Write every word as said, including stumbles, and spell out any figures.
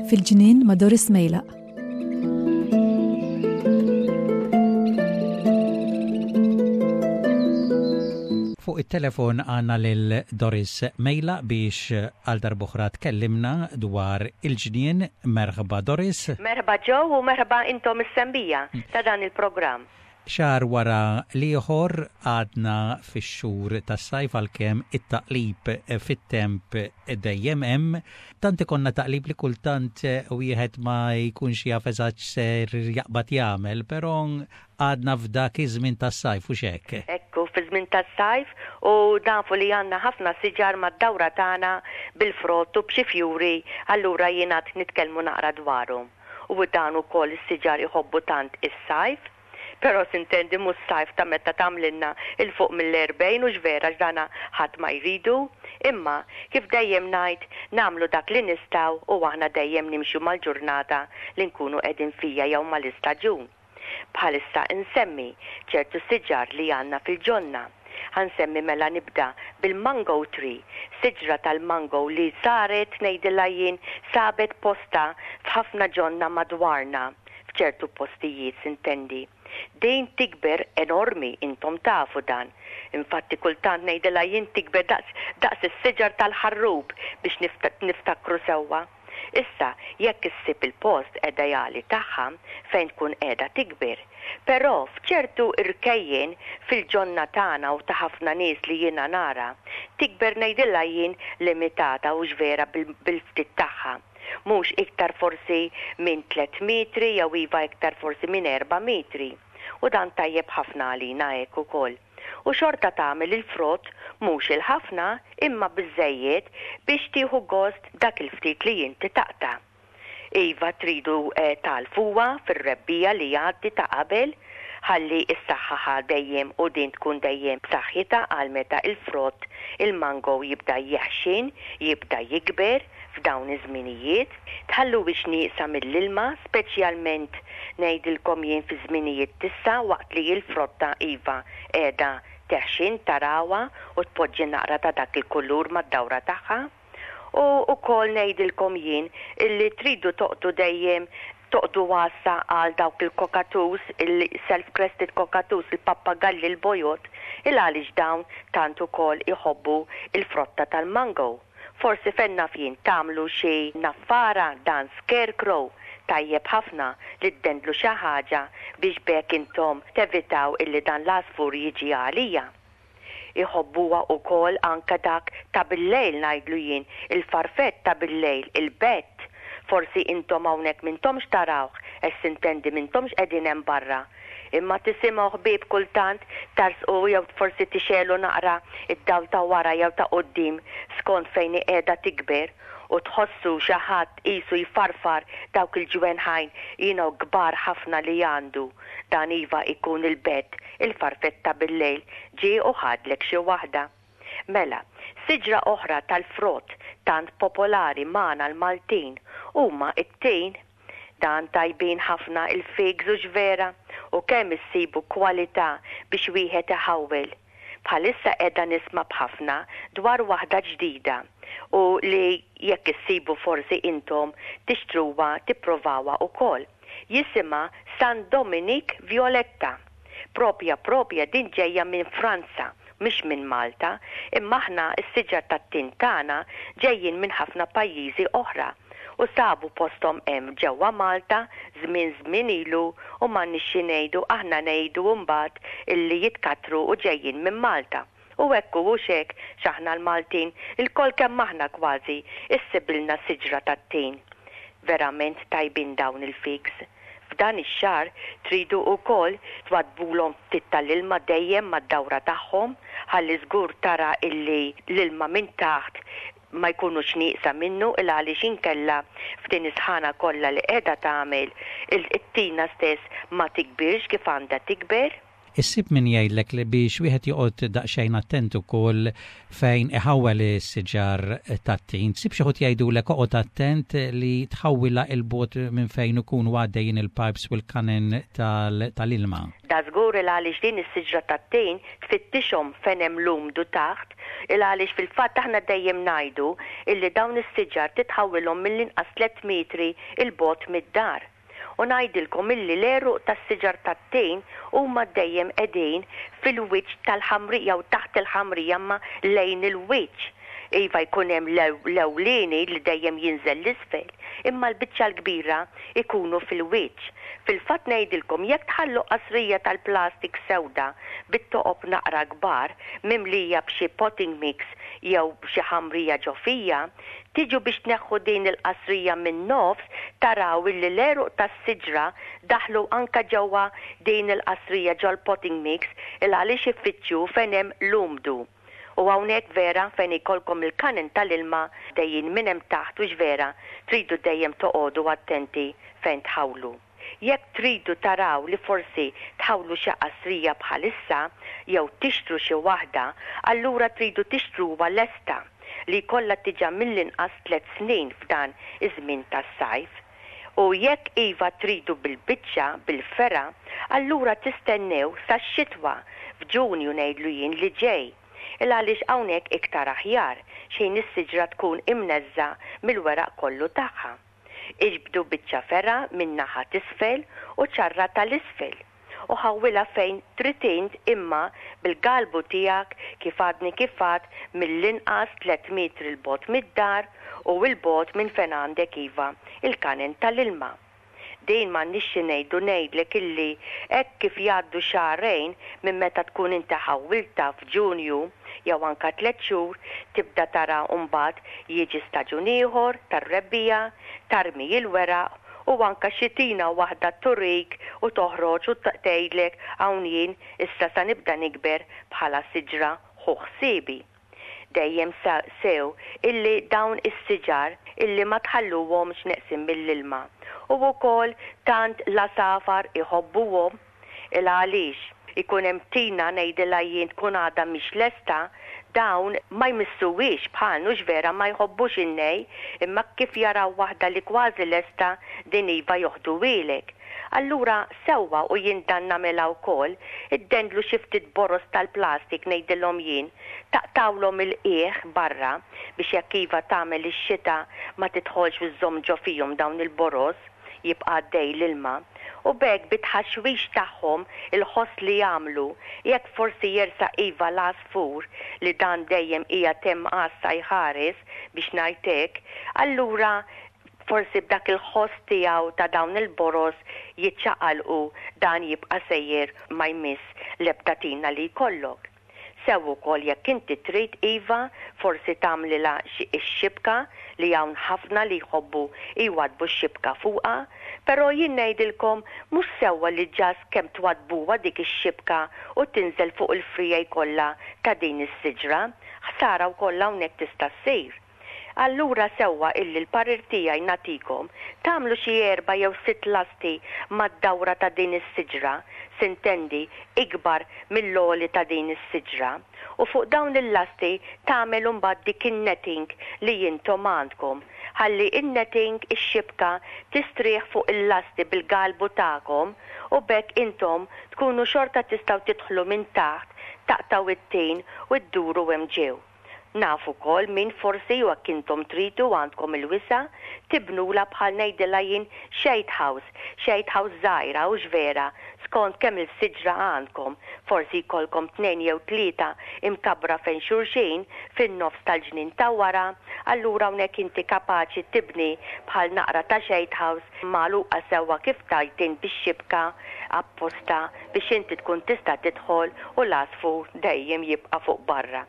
Fil-ġnien ma' Doris Mejlaq. Fuq it-telefon għandna lil Doris Mejlaq biex għal darb'oħra tkellimna dwar il-ġnien. Merħba, Doris. Merħba, Joe, u merħba intom is-semmiegħa ta' dan il-programm. Xahar wara l-ieħor għadna fix-xhur tas-sajf, għalkemm it-taqlib fit-temp dejjem hemm. Tant ikollna taqlib li kultant wieħed ma jkunx jaf eżatt ser jaqbad jagħmel, però għadna f'dak iż-żmien tas-sajf u hekk. Ekku, fi żmien tas-sajf, u nafu li għandna ħafna siġar mad-dawra tagħna bil-frott u b'xi fjuri, allura jiena nitkellmu naqra dwarhom. U dan ukoll is-siġar iħobbu tant is-sajf, però s'intendi mhux sajf ta' meta tagħmlilna 'l fuq mill-erbgħin, u vera x'dana ħadd ma jridu, imma kif dejjem ngħid, nagħmlu dak li nistgħu u aħna dejjem nimxu mal-ġurnata li nkunu qegħdin fija jew mal-istaġun. Bħalissa insemmi ċertu siġar li għandna fil-ġonna. Ħa nsemmi mela, nibda bil-mango tree, siġra tal-mango li saret, ngħidilha jien, sabet posta f'ħafna ġonna madwarna, f'ċertu postijiet s'intendi. Din tikber enormi, intom tafu dan. Infatti kultant ngħidilha jien tikber daqs, daqs is-siġar tal-ħarrub biex niftakru sewwa. Issa, jekk issib il-post ideali tagħha fejn tkun qiegħda tikber. Però f'ċertu irkejjen fil-ġonna tagħna u ta' ħafna nies li jiena nara, tikber, ngħidilha jien, limitata u vera bil-ftit tagħha. Mhux iktar forsi minn tliet metri jew iva iktar forsi minn erba' metri. U dan tajjeb ħafna għalina hekk ukoll. U xorta tagħmel il-frott, mhux il-ħafna, imma biżejjed biex tieħu gost dak il-ftit li inti taqta'. Iva, tridu eh, tgħalfuha fir-rebbiegħa li jgħaddi ta' qabel ħalli s-saħħa dejjem u din tkun dejjem b'saħħitha għal meta il-frott il-mango jibda jeħxin, jibda jikber f'dawn iż-żminijiet. Tħalluhiex nieqsa mill-ilma, speċjalment, ngħidilkom jien, fi żminijiet t'issa waqt li l-frotta iva qiegħda teħxin, tarawha u tpoġġi naqra ta' dak il-kulur mad-dawra tagħha. U ukoll ngħidilkom jien illi tridu toqgħdu dejjem toqogħdu għassa għal dawk il-cockatoos, il-self-crested cockatoos, il-pappagalli l-bojod, il għaliex dawn tant ukoll iħobbu il-frotta tal-mango. Forsi fejn naf jien tagħmlu xi naffara, dan scarecrow, tajjeb ħafna li ddendlu xi ħaġa biex b'hekk intom tevitaw illi dan l-għasfur jiġi għalija. Iħobbuha ukoll anka dak ta' bil-lejl, ngħidlu jien, il-farfett ta' bil-lejl, il-bat. Forsi intom hawnhekk m'intomx tarawh, s'intendi m'intomx qegħdin hemm barra. Imma tisimgħu, ħbieb, kultant tarsqu jew forsi tixegħlu naqra id-dawl ta' wara jew ta' quddiem skont fejn qiegħda tikber u tħossu xi ħadd qisu jfarfar dawk il-ġwenħajn you know, kbar ħafna li għandu. Dan iva ikun il-bat, il-farfetta bil-lejl, ġie u ħadlek xi waħda. Mela, siġra oħra tal-frott tant popolari magħna l-Maltin huma it-tin. Dan tajbin ħafna il-figs, u vera, u kemm issibu kwalità biex wieħed iħawwel. Bħalissa qiegħda nisma' b'ħafna dwar waħda ġdida u li jekk issibu forsi intom tixtruha, tipprovawha ukoll. Jisimha San Dominic Violetta. Propja propja din ġejja minn Franza, mhix minn Malta, imma aħna s-siġar tat-tin tagħna ġejjin minn ħafna pajjiżi oħra u sabu postom hemm ġewwa Malta żmien żmien ilu u m'għandniex xi ngħidu, aħna ngħidu mbagħad illi jitkatru u ġejjin minn Malta. U hekk u hekk x'aħna l-Maltin ilkoll kemm aħna kważi issibilna siġra tat-tin. Verament tajbin dawn il-figs. F'dan ix-xahar tridu wkoll twaddbulhom ftit tal-ilma dejjem mad-dawra tagħhom ħalli żgur tara illi l-ilma minn taħt ma jkunux nieqsa minnu, il għaliex inkella f'din is-sħana kollha li qiegħda tagħmel, it-tina stess ma tikbirx kif għandha tikber. Issib min jgħidlek li biex wieħed joqgħod daqsxejn attent ukoll fejn iħawwel is-siġar tat-tin. Ssib xi ħadd jgħidulek oqgħod attent li tħawwilha 'l bogħod minn fejn ikunu għaddejjin il-pipes u l-kanen tal-ilma. Da żgur, il għaliex din is-siġra tat-tin tfittixhom fejn hemm l-umdu taħt, il għaliex fil-fatt aħna dejjem ngħidu illi dawn is-siġar titħawwilhom mill-inqas tliet metri 'l bogħod mid-dar. U ngħidilkom illi l-għeruq tas-siġar tat-tin huma dejjem qegħdin fil-wiċċ tal-ħamrija u taħt il-ħamrija, ma lejn il-wiċċ. Iva, jkun hemm l-ewlieni li dejjem jinżel 'l isfel, imma l-biċċa l-kbira ikunu fil-wiċċ. Fil-fatt ngħidilkom, jekk tħallu qasrija tal-plastik sewda bit-toqob naqra kbar mimlija b'xi potting mix jew b'xi ħamrija ġo fiha, tiġu biex tneħħu din il-qasrija minn nofs, taraw illi l-għeruq tas-siġra daħlu anka ġewwa din il-qasrija, ġol-potting mix, il għaliex ifittxu fejn hemm l-umdu. U hawnhekk vera fejn ikollkom il-kanen tal-ilma dejjin minn hemm taħt, u vera tridu dejjem toqogħdu attenti fejn tħawlu. Jekk tridu taraw li forsi tħawlu xi qasrija bħalissa jew tixtru xi waħda, allura tridu tixtruha lesta li jkollha diġà mill-inqas tliet snin f'dan iż-żmien tas-sajf. U jekk iva tridu bil-biċċa, bil-fergħa, allura tistennew sa xitwa, f'Ġunju ngħidlu jien li ġej. Il għaliex hawnhekk iktar aħjar xejn is-siġra tkun imneżża mill-weraq kollu tagħha. Iġbdu biċċa fergħa minn naħa t'isfel u ċarra tal-isfel u ħawwilha fejn trid int, imma bil-galbu tiegħek, kif għadni kif għad, mill-inqas tliet metri 'l bogħod mid-dar u 'l bogħod minn fejn għandek iva il-kanen tal-ilma. Din m'għandniex xi ngħidu, ngħidlek illi hekk kif jgħaddu xahrejn minn meta tkun inti ħawwilta f'Ġunju jew anka tliet xhur, tibda tara mbagħad jiġi staġun ieħor tar-rebbiegħa, tarmi il-weraq u anka xi tina waħda turik u toħroġ u tgħidlek, "Hawn jien issa, sa nibda nikber bħala siġra, ħu ħsiebi." Dejjem sew illi dawn is-siġar illi ma tħalluhomx neqsin mill-ilma. U wkoll tant l-għasafar iħobbuhom, il għaliex ikun hemm tina, ngħidilha jien, tkun għadha mhix lesta, dawn ma jmissuwix bħal nux, vera ma jħobbux in-nej, imma kif jaraw waħda li kważi lesta, din iva joħduhielek. Allura sewwa, u jien dan nagħmilha wkoll, iddendlu xi ftit boroż tal-plastik, ngħidilhom jien, taqtawlhom il-qiegħ barra biex jekk iva tagħmel ix-xita ma tidħolx u żżomm ġo fihom dawn il-boroż, jibqa' għaddej l-ilma. U b'hekk bit-tħaxwix tagħhom, il-ħoss li jagħmlu, jekk forsi jersaq iva l-għasfur li dan dejjem hija hemm għassa jħares, biex ngħidlek, allura forsi b'dak il-ħoss tiegħu ta' dawn il-boroż jiċċaqalqu, dan jibqa' sejjer, ma jmiss l-ebda tina li jkollok. Sew ukoll jekk inti trid iva forsi tagħmlilha xi x-xibka, li hawn ħafna li jħobbu jwadbu x-xibka fuqha, però jien ngħidilkom mhux sewwa li ġas kemm twadbuha dik ix-xibka u tinżel fuq il-friegħi kollha ta' din is-siġra, ħsara wkoll hawnhekk tista' ssir. Allura sewwa illi l-parir tiegħi nagħtikom tagħmlu xi erba' jew sitt lasti mad-dawra ta' din is-siġra, s'intendi ikbar mill-għoli ta' din is-siġra. U fuq dawn il-lasti tagħmel imbagħad dik in-netting li intom għandkom. Ħalli in-netting, ix-xibka, tistrieħ fuq il-lasti bil-galbu tagħkom u b'hekk intom tkunu xorta tistgħu tidħlu minn taħt, taqtgħu it-tin u dduru hemm ġew. Naf ukoll min forsi, u jekk intom tridu, għandkom il-wisa', tibnula bħal, ngħidilha jien, shade house, shade house żgħira, u vera, skont kemm il-siġra għandkom, forsi jkollkom tnejn jew tlieta imkabra fejn xulxin fin-nofs tal-ġnien ta' wara, allura hawnhekk inti kapaċi tibni bħal naqra ta' shade house magħluqa sewwa, kif tajtin, bix-xibka apposta biex inti tkun tista' tidħol u l-għasfur dejjem jibqa' fuq barra.